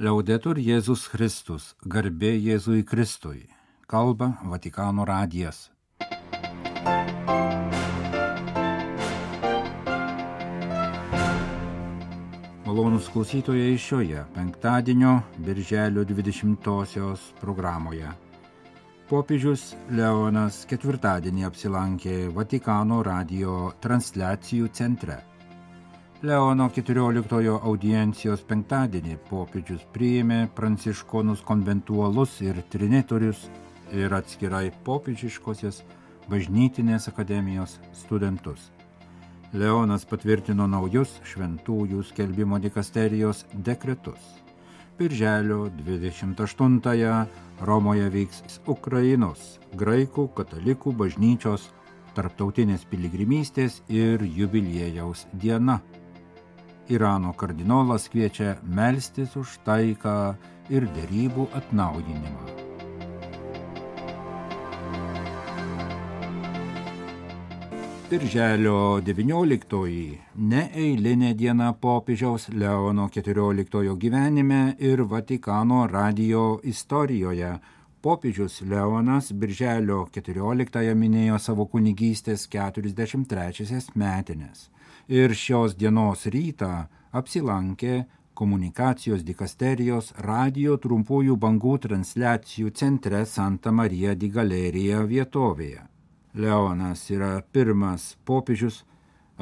Liaudetur Jėzus Kristus, garbė Jėzui Kristui, kalba Vatikano radijas. Malonūs klausytojai šioje penktadienio birželio 20-osios programoje. Popiežius Leonas ketvirtadienį apsilankė Vatikano radijo transliacijų centre. Leono 14 audiencijos penktadienį popiežius priėmė pranciškonus konventualus ir trinitorius ir atskirai popiežiškosios bažnytinės akademijos studentus. Leonas patvirtino naujus šventųjų skelbimo dikasterijos dekretus. Birželio 28-ąją Romoje vyks Ukrainos graikų katalikų bažnyčios tarptautinės piligrimystės ir jubiliejaus diena. Irano kardinolas kviečia melstis už taiką ir derybų atnaujinimą. Birželio 19-oji neeilinė diena popiežiaus Leono 14 gyvenime ir Vatikano radijo istorijoje. Popiežius Leonas birželio 14-ąją minėjo savo kunigystės 43 metines. Ir šios dienos rytą apsilankė komunikacijos dikasterijos radijo trumpųjų bangų transliacijų centre Santa Maria di Galerija vietovėje. Leonas yra pirmas popiežius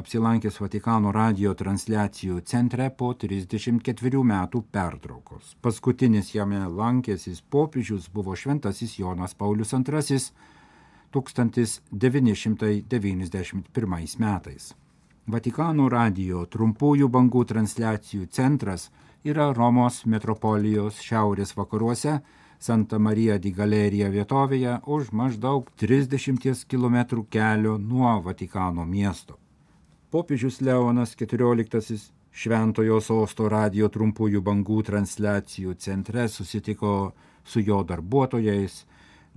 apsilankęs Vatikano radijo transliacijų centre po 34 metų pertraukos. Paskutinis jame lankęsis popiežius buvo šventasis Jonas Paulius II 1991 metais. Vatikano radijo trumpųjų bangų transliacijų centras yra Romos metropolijos šiaurės vakaruose Santa Maria di Galerija vietovėje už maždaug 30 km kelio nuo Vatikano miesto. Popiežius Leonas XIV Šventojo Sosto radijo trumpųjų bangų transliacijų centre susitiko su jo darbuotojais,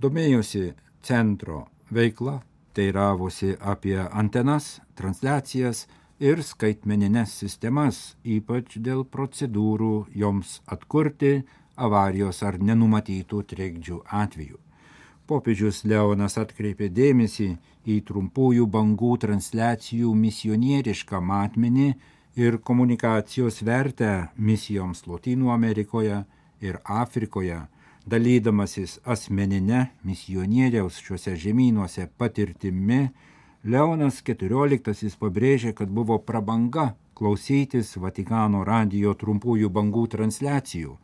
domėjosi centro veikla, teiravosi apie antenas, transliacijas ir skaitmenines sistemas, ypač dėl procedūrų joms atkurti avarijos ar nenumatytų trikdžių atveju. Popiežius Leonas atkreipė dėmesį į trumpųjų bangų transliacijų misionierišką matmenį ir komunikacijos vertę misijoms Lotynų Amerikoje ir Afrikoje, dalydamasis asmeninę misionieriaus šiuose žemynuose patirtimi. Leonas XIV pabrėžė, kad buvo prabanga klausytis Vatikano radijo trumpųjų bangų transliacijų.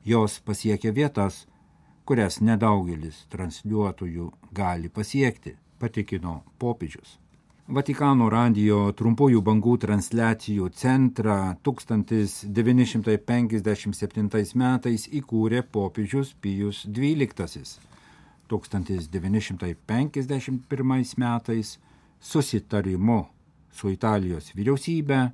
Jos pasiekė vietas, kurias nedaugelis transliuotojų gali pasiekti, patikino popiežius. Vatikano radijo trumpųjų bangų transliacijų centrą 1957 metais įkūrė popiežius Pijus XII. 1951 metais susitarimu su Italijos vyriausybe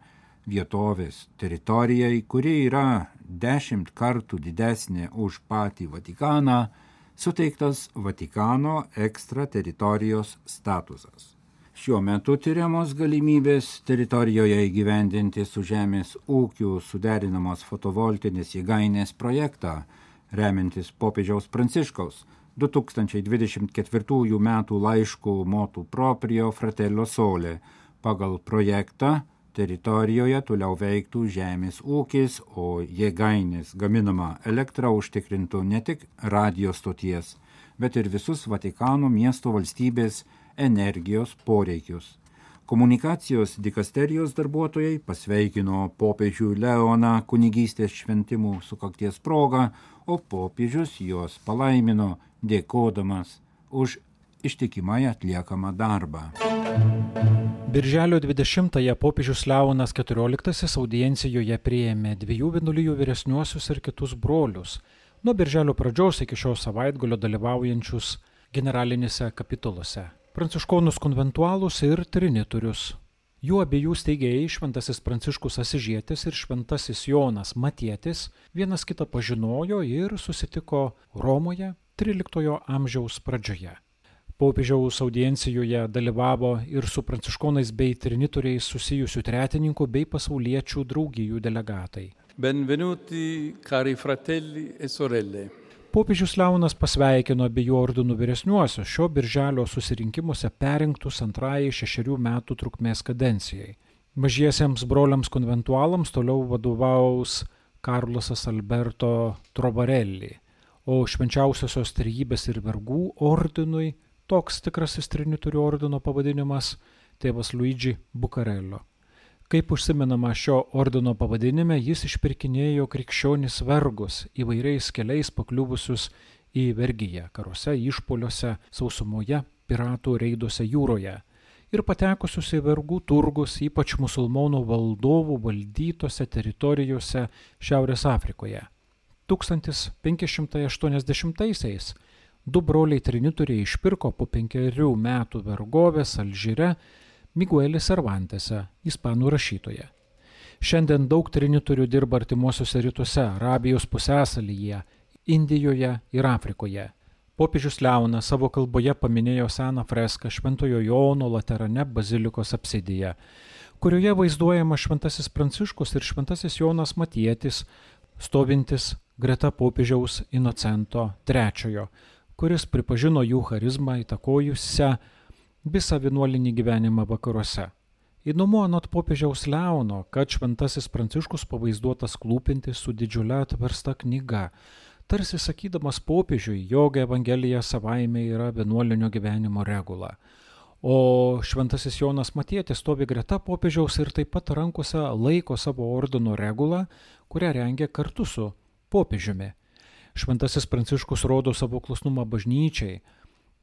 vietovės teritorijai, kuri yra 10 kartų didesnė už patį Vatikaną, suteiktas Vatikano ekstrateritorijos statusas. Šiuo metu tyriamos galimybės teritorijoje įgyvendinti su žemės ūkiu suderinamos fotovoltinės jėgainės projektą, remiantis popiežiaus Pranciškaus 2024 metų laišku Motu Proprio Fratello Sole. Pagal projektą teritorijoje toliau veiktų žemės ūkis, o jėgainės gaminama elektra užtikrintų ne tik radijo stoties, bet ir visus Vatikano miesto valstybės energijos poreikius. Komunikacijos dikasterijos darbuotojai pasveikino popiežių Leoną kunigystės šventimų sukakties proga, o popiežius juos palaimino, dėkodamas už ištikimai atliekamą darbą. Birželio 20-ąją popiežius Leonas XIV audiencijoje priėmė 2 vienuolijų vyresniuosius ir kitus brolius, nuo birželio pradžios iki šio savaitgalio dalyvaujančius generalinėse kapituluose, pranciškonus konventualus ir trinitorius. Jų abiejų steigėjai šventasis Pranciškus Asižietis ir šventasis Jonas Matietis vienas kitą pažinojo ir susitiko Romoje 13 amžiaus pradžioje. Popiežiaus audiencijoje dalyvavo ir su pranciškonais bei trinitoriais susijusių tretininkų bei pasauliečių draugijų delegatai. Benvenuti cari fratelli e sorelle. Popiežius Leonas pasveikino abiejų ordinų vyresniuosius šio birželio susirinkimuose perrinktus antrajai 6 metų trukmės kadencijai. Mažiesiems broliams konventualams toliau vadovaus Karlosas Alberto Trovarelli, o švenčiausiosios trejybės ir vergų ordinui, toks tikrasis trinitorių ordino pavadinimas, tėvas Luigi Bucarello. Kaip užsimenama šio ordino pavadinime, jis išpirkinėjo krikščionis vergus įvairiais keliais pakliuvusius į vergiją, karuose, išpoliuose, sausumoje, piratų reiduose jūroje ir patekusius į vergų turgus, ypač musulmonų valdovų valdytose teritorijose Šiaurės Afrikoje. 1580-aisiais 2 broliai trinitoriai išpirko po 5 metų vergovės Alžyre Miguelis Cervantese, ispanų rašytoje. Šiandien daug trinitorių dirba artimuosiuose rytuose, Arabijos pusiasalyje, Indijoje ir Afrikoje. Popiežius Leonas savo kalboje paminėjo seną freską Šventojo Jono Laterane bazilikos apsidyje, kurioje vaizduojama Šventasis Pranciškus ir Šventasis Jonas Matietis, stovintis greta popiežiaus Inocento III, kuris pripažino jų charizmą įtakojusią visą vienuolinį gyvenimą vakaruose. Įdomu anot popiežiaus Leono, kad Šventasis Pranciškus pavaizduotas klūpintis su didžiulė atversta knyga, tarsi sakydamas popiežiui, jog Evangelija savaime yra vienuolinio gyvenimo regula. O Šventasis Jonas Matietis stovi greta popiežiaus ir taip pat rankose laiko savo ordino regulą, kurią rengia kartu su popiežiumi. Šventasis Pranciškus rodo savo klusnumą bažnyčiai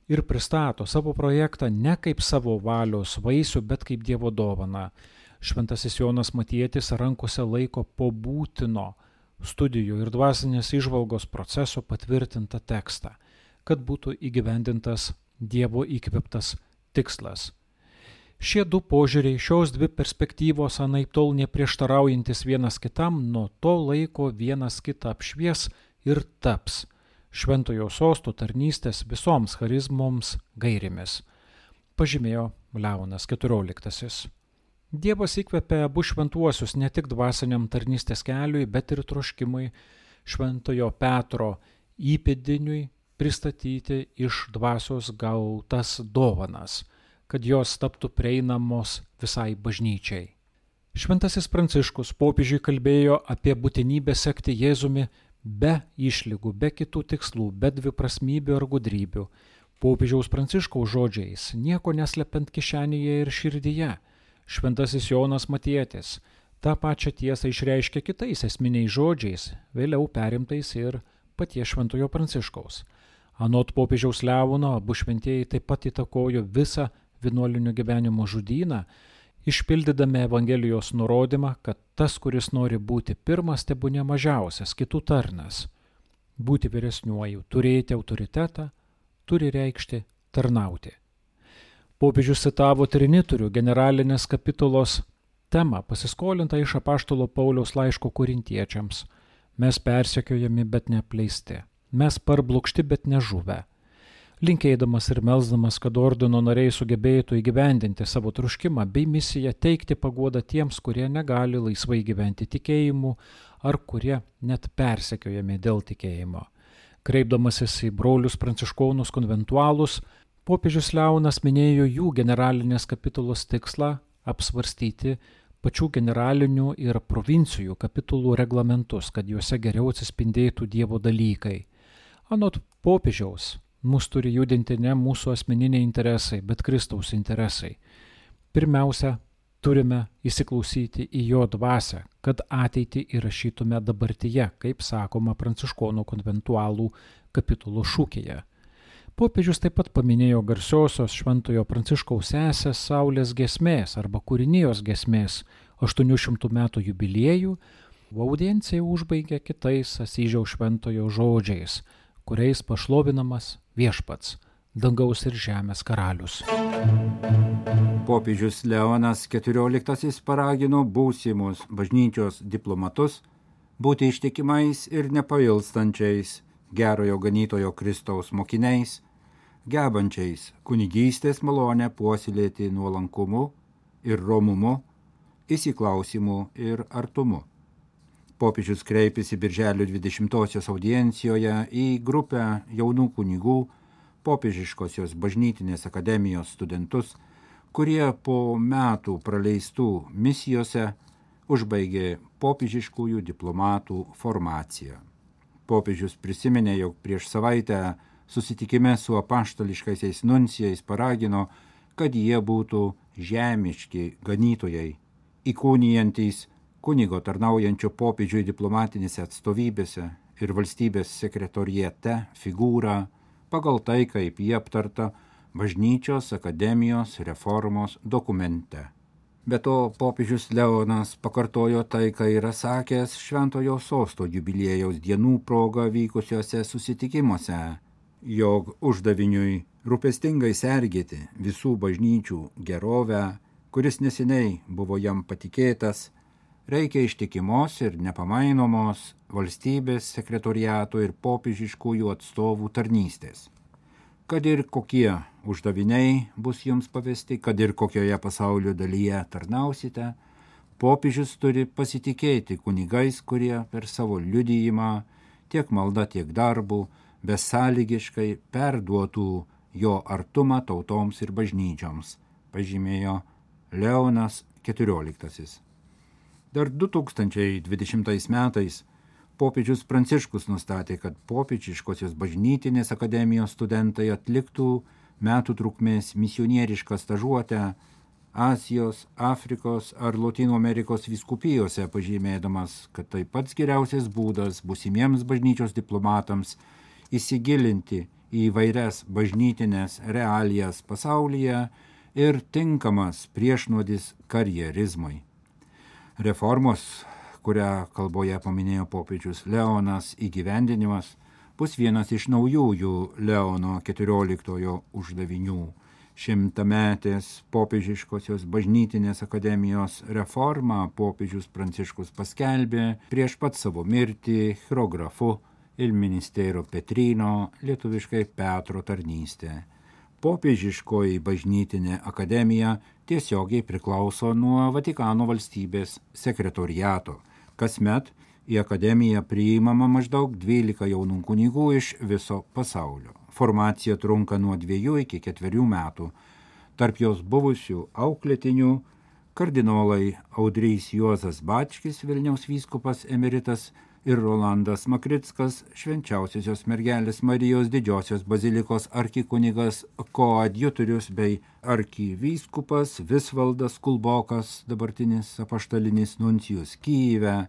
ir pristato savo projektą ne kaip savo valios vaisių, bet kaip Dievo dovaną. Šventasis Jonas Matietis rankose laiko po būtino studijų ir dvasinės įžvalgos proceso patvirtintą tekstą, kad būtų įgyvendintas Dievo įkvėptas tikslas. Šie 2 požiūriai, šios 2 perspektyvos anaiptol neprieštaraujantis vienas kitam, nuo to laiko vienas kitą apšvies ir taps Šventojo sosto tarnystės visoms charizmoms gairėmis, pažymėjo Leonas XIV. Dievas įkvėpė abu šventuosius ne tik dvasiniam tarnystės keliui, bet ir troškimui Šventojo Petro įpėdiniui pristatyti iš dvasios gautas dovanas, kad jos taptų prieinamos visai bažnyčiai. Šventasis Pranciškus popiežiui kalbėjo apie būtinybę sekti Jėzumi be išlygų, be kitų tikslų, be dviprasmybių ar gudrybių. Popiežiaus Pranciškaus žodžiais, nieko neslepiant kišenėje ir širdyje. Šventasis Jonas Matietis tą pačią tiesą išreiškė kitais esminiais žodžiais, vėliau perimtais ir paties Šventojo Pranciškaus. Anot popiežiaus Leono, abu šventieji taip pat įtakojo visą vienuolinio gyvenimo žodyną, išpildydami Evangelijos nurodymą, kad tas, kuris nori būti pirmas, tebūnie mažiausias, kitų tarnas. Būti vyresniuoju, turėti autoritetą, turi reikšti tarnauti. Popiežius citavo trinitorių generalinės kapitulos temą, pasiskolintą iš apaštalo Pauliaus laiško korintiečiams. Mes persekiojami, bet neapleisti. Mes parblokšti, bet nežuvę. Linkėdamas ir melsdamas, kad ordino nariai sugebėtų įgyvendinti savo troškimą bei misiją teikti paguodą tiems, kurie negali laisvai gyventi tikėjimu ar kurie net persekiojami dėl tikėjimo. Kreipdamasis į brolius pranciškonus konventualus, popiežius Leonas minėjo jų generalinės kapitulos tikslą apsvarstyti pačių generalinių ir provincijų kapitulų reglamentus, kad juose geriau atsispindėtų Dievo dalykai. Anot popiežiaus, mus turi judinti ne mūsų asmeniniai interesai, bet Kristaus interesai. Pirmiausia, turime įsiklausyti į jo dvasią, kad ateitį įrašytume dabartyje, kaip sakoma pranciškonų konventualų kapitulo šūkyje. Popiežius taip pat paminėjo garsiosios Šventojo Pranciškaus sesės Saulės giesmės arba kūrinijos giesmės 800 metų jubiliejų, o audiencija užbaigė kitais Asyžiaus šventojo žodžiais, kuriais pašlovinamas Viešpats, dangaus ir žemės karalius. Popiežius Leonas XIV paragino būsimus bažnyčios diplomatus būti ištikimais ir nepailstančiais gerojo ganytojo Kristaus mokiniais, gebančiais kunigystės malonę puoselėti nuolankumu ir romumu, įsiklausimu ir artumu. Popiežius kreipėsi birželio 20-osios audiencijoje į grupę jaunų kunigų, popiežiškosios bažnytinės akademijos studentus, kurie po metų praleistų misijose užbaigė popiežiškųjų diplomatų formaciją. Popiežius prisiminė, jog prieš savaitę susitikime su apaštališkaisiais nuncijais paragino, kad jie būtų žemiški ganytojai, įkūnijantys kunigo tarnaujančio popiežiui diplomatinėse atstovybėse ir valstybės sekretoriate figūrą pagal tai, kaip jie aptarta bažnyčios akademijos reformos dokumente. Be to, popiežius Leonas pakartojo tai, ką yra sakęs Šventojo Sosto jubiliejaus dienų proga vykusiuose susitikimuose, jog uždaviniui rūpestingai sergėti visų bažnyčių gerovę, kuris neseniai buvo jam patikėtas, reikia ištikimos ir nepamainomos valstybės sekretoriato ir popiežiškųjų atstovų tarnystės. Kad ir kokie uždaviniai bus jums pavesti, kad ir kokioje pasaulio dalyje tarnausite, popiežius turi pasitikėti kunigais, kurie per savo liudijimą, tiek malda, tiek darbu, besąlygiškai perduotų jo artumą tautoms ir bažnyčioms, pažymėjo Leonas XIV. Dar 2020 metais popiežius Pranciškus nustatė, kad popiežiškosios bažnytinės akademijos studentai atliktų metų trukmės misionierišką stažuotę Azijos, Afrikos ar Lotynų Amerikos vyskupijose, pažymėdamas, kad tai pats geriausias būdas būsimiems bažnyčios diplomatams įsigilinti į įvairias bažnytinės realijas pasaulyje ir tinkamas priešnuodis karjerizmui. Reformos, kurią kalboje paminėjo popiežius Leonas, įgyvendinimas bus vienas iš naujųjų Leono XIV uždavinių. 100-metės popiežiškosios bažnytinės akademijos reformą popiežius Pranciškus paskelbė prieš pat savo mirtį chirografu il ministero Petrino, lietuviškai Petro tarnystė. Popiežiškoji bažnytinė akademija tiesiogiai priklauso nuo Vatikano valstybės sekretoriato. Kasmet į akademiją priimama maždaug 12 jaunų kunigų iš viso pasaulio. Formacija trunka nuo 2 iki 4 metų. Tarp jos buvusių auklėtinių kardinolai Audrys Juozas Bačkis, Vilniaus vyskupas emeritas, ir Rolandas Makrickas, Švenčiausiosios mergelės Marijos Didžiosios bazilikos arkikunigas, koadjutorius bei arkivyskupas Visvaldas Kulbokas, dabartinis apaštalinis nuncijus Kyjive,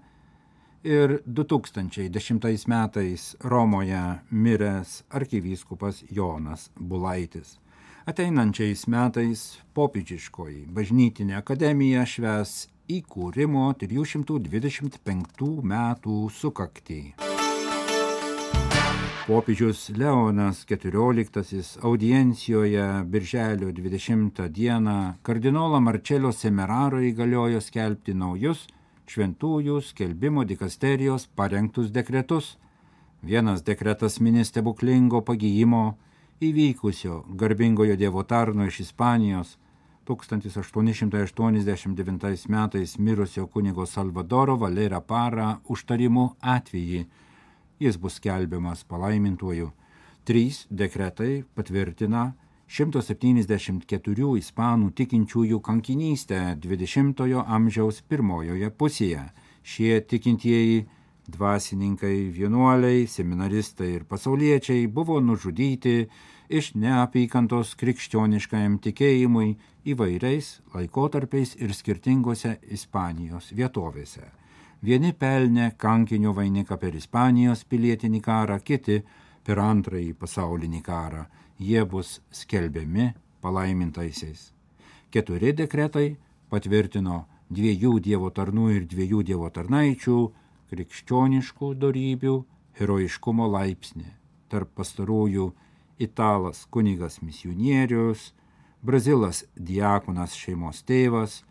ir 2010 metais Romoje miręs arkivyskupas Jonas Bulaitis. Ateinančiais metais popiežiškoji bažnytinė akademija švęs įkūrimo 325 metų sukaktį. Popiežius Leonas XIV audiencijoje birželio 20 dieną kardinolą Marcello Semeraro įgaliojo skelbti naujus šventųjų skelbimo dikasterijos parengtus dekretus. Vienas dekretas mini stebuklingo pagijimo įvykusio garbingojo Dievo tarno iš Ispanijos 1889 metais mirusio kunigo Salvadoro Valera Para užtarimų atvejį. Jis bus skelbiamas palaimintuoju. 3 dekretai patvirtina 174 ispanų tikinčiųjų kankinystę 20-ojo amžiaus pirmojoje pusėje. Šie tikintieji dvasininkai, vienuoliai, seminaristai ir pasauliečiai buvo nužudyti iš neapykantos krikščioniškajam tikėjimui įvairiais laikotarpiais ir skirtingose Ispanijos vietovėse. Vieni pelnė kankinio vainiką per Ispanijos pilietinį karą, kiti per Antrąjį pasaulinį karą. Jie bus skelbiami palaimintaisiais. 4 dekretai patvirtino 2 Dievo tarnų ir 2 Dievo tarnaičių krikščioniškų dorybių herojiškumo laipsnį. Tarp pastarųjų italas kunigas misionierius, brazilas diakonas šeimos tėvas,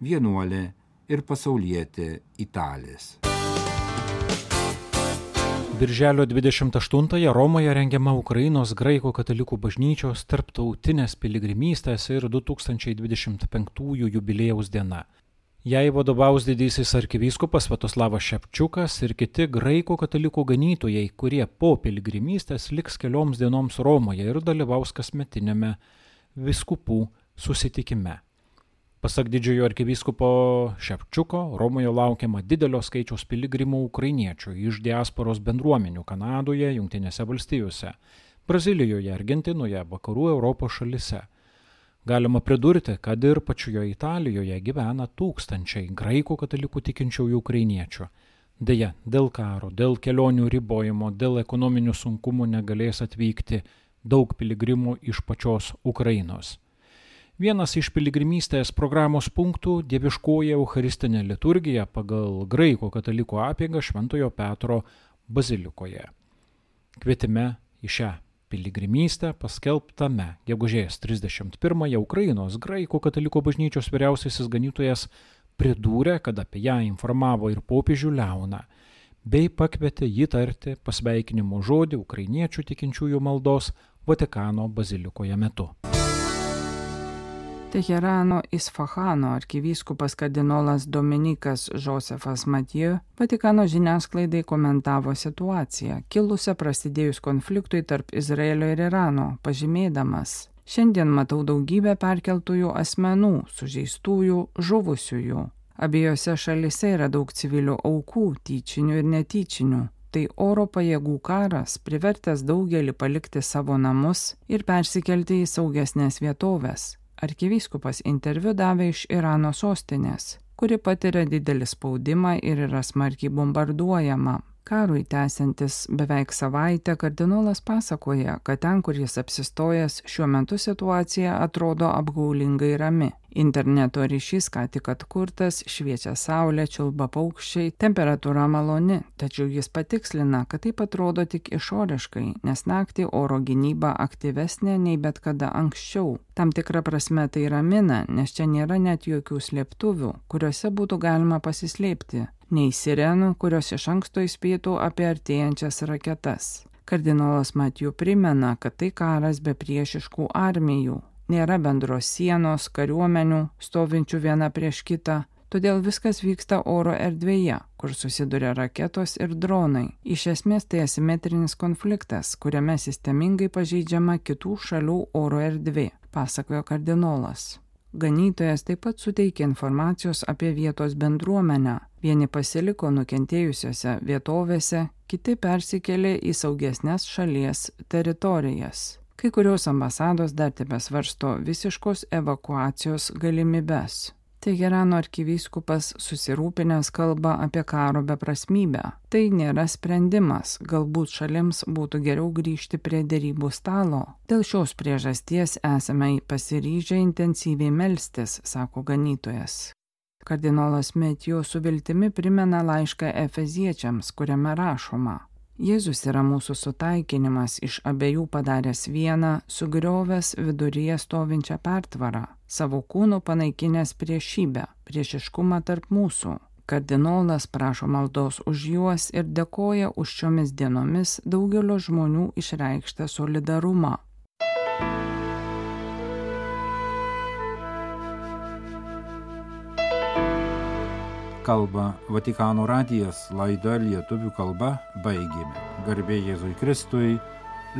vienuolė ir pasaulietė Italės. Birželio 28-ąją Romoje rengiama Ukrainos graikų katalikų bažnyčios tarptautinės piligrimystės ir 2025 jubiliejaus diena. Jai vadovaus didysis arkivyskupas Sviatoslavas Šepčiukas ir kiti graikų katalikų ganytojai, kurie po piligrimystės liks kelioms dienoms Romoje ir dalyvaus kasmetinėme vyskupų susitikime. Pasak didžiojo arkivyskupo Šepčiuko, Romoje laukiama didelio skaičiaus piligrimų ukrainiečių iš diasporos bendruomenių Kanadoje, Jungtinėse valstijose, Brazilijoje, Argentinoje, Vakarų Europos šalise. Galima pridurti, kad ir pačioje Italijoje gyvena tūkstančiai graikų katalikų tikinčiųjų ukrainiečių. Deja, dėl karo, dėl kelionių ribojimo, dėl ekonominių sunkumų negalės atvykti daug piligrimų iš pačios Ukrainos. Vienas iš piligrimystės programos punktų – dieviškoji eucharistinė liturgija pagal graikų katalikų apeigą Šventojo Petro bazilikoje. Kvietime į šią piligrimystę paskelbtame gegužės 31-ąją Ukrainos graikų katalikų bažnyčios vyriausiasis ganytojas pridūrė, kad apie ją informavo ir popiežių Leoną, bei pakvietė jį tarti pasveikinimo žodį ukrainiečių tikinčiųjų maldos Vatikano bazilikoje metu. Teherano Isfahano arkivyskupas kardinolas Dominikas Josefas Mathieu Vatikano žiniasklaidai komentavo situaciją, kilusią prasidėjus konfliktui tarp Izraelio ir Irano, pažymėdamas: šiandien matau daugybę perkeltųjų asmenų, sužeistųjų, žuvusiųjų. Abiejose šalise yra daug civilių aukų, tyčinių ir netyčinių. Tai oro pajėgų karas privertęs daugelį palikti savo namus ir persikelti į saugesnės vietovės. Arkivyskupas interviu davė iš Irano sostinės, kuri patiria didelį spaudimą ir yra smarkiai bombarduojama. Karui tęsiantis beveik savaitę, kardinolas pasakoja, kad ten, kur jis apsistojęs, šiuo metu situacija atrodo apgaulingai rami. Interneto ryšys ką tik atkurtas, šviečia saulė, čiulba paukščiai, temperatūra maloni, tačiau jis patikslina, kad taip atrodo tik išoriškai, nes naktį oro gynyba aktyvesnė nei bet kada anksčiau. Tam tikra prasme tai ramina, nes čia nėra net jokių slėptuvių, kuriuose būtų galima pasislėpti, nei sirenų, kurios iš anksto įspėtų apie artėjančias raketas. Kardinolas Mathieu primena, kad tai karas be priešiškų armijų. Nėra bendros sienos, kariuomenių, stovinčių viena prieš kitą, todėl viskas vyksta oro erdvėje, kur susiduria raketos ir dronai. Iš esmės tai asimetrinis konfliktas, kuriame sistemingai pažeidžiama kitų šalių oro erdvė, pasakojo kardinolas. Ganytojas taip pat suteikė informacijos apie vietos bendruomenę. Vieni pasiliko nukentėjusiose vietovėse, kiti persikėlė į saugesnes šalies teritorijas. Kai kurios ambasados dar tebesvarsto visiškos evakuacijos galimybes. Teherano arkivyskupas susirūpinęs kalba apie karo beprasmybę. Tai nėra sprendimas, galbūt šalims būtų geriau grįžti prie derybų stalo. Dėl šios priežasties esame pasiryžę intensyviai melstis, sako ganytojas. Kardinolas Mathieu su viltimi primena laišką Efeziečiams, kuriame rašoma: Jėzus yra mūsų sutaikinimas, iš abiejų padaręs vieną, sugriovęs viduryje stovinčią pertvarą, savo kūnu panaikinęs priešybę, priešiškumą tarp mūsų. Kardinolas prašo maldos už juos ir dėkoja už šiomis dienomis daugelio žmonių išreikštą solidarumą. Kalba Vatikano radijas, laida lietuvių kalba baigėme. Garbė Jėzui Kristui,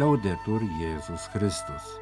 Liaudetur Jėzus Kristus.